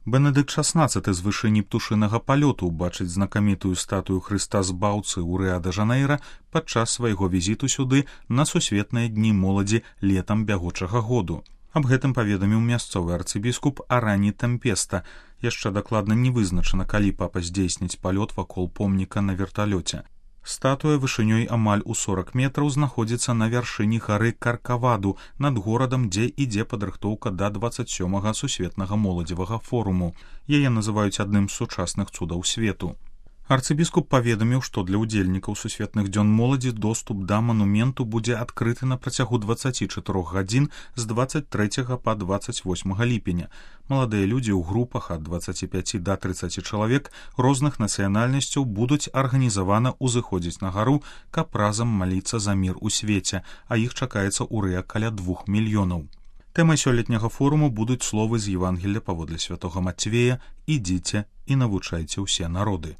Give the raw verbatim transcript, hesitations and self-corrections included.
Бенедыкт шаснаццаты з вышыні птушынага палёту бачыць знакамітую статую Хрыста Збаўцы ў Рыа-дэ-Жанэйра падчас свайго візіту сюды на сусветныя дні моладзі летам бягучага году. Аб гэтым паведаміў мясцовы арцыбіскуп Арані Тэмпеста. Яшчэ дакладна не вызначана, калі папа здзейсніць палёт вакол помніка на верталёце. Статуя вышынёй амаль у сорак метраў знаходзіцца на вяршыні гары Каркаваду над горадам, дзе ідзе падрыхтоўка да дваццаць сёмага сусветнага моладзевага форуму. Яе называюць адным з сучасных цудаў свету. Арцыбіскуп паведаміў, што для ўдзельнікаў сусветных дзён моладзі доступ да манументу будзе адкрыты на працягу дваццаці чатырох гадзін з дваццаць трэцяга па дваццаць восьмага ліпеня. Маладыя людзі ў групах ад дваццаці пяці да трыццаці чалавек розных нацыянальнасцяў будуць арганізавана ўзыходзіць на гару, каб разам маліцца за мір у свеце, а іх чакаецца ў Рыа каля двух мільёнаў. Тэмай сёлетняга форуму будуць словы з Евангелля паводле святога Мацвея: «Ідзіце і навучайце ўсе народы».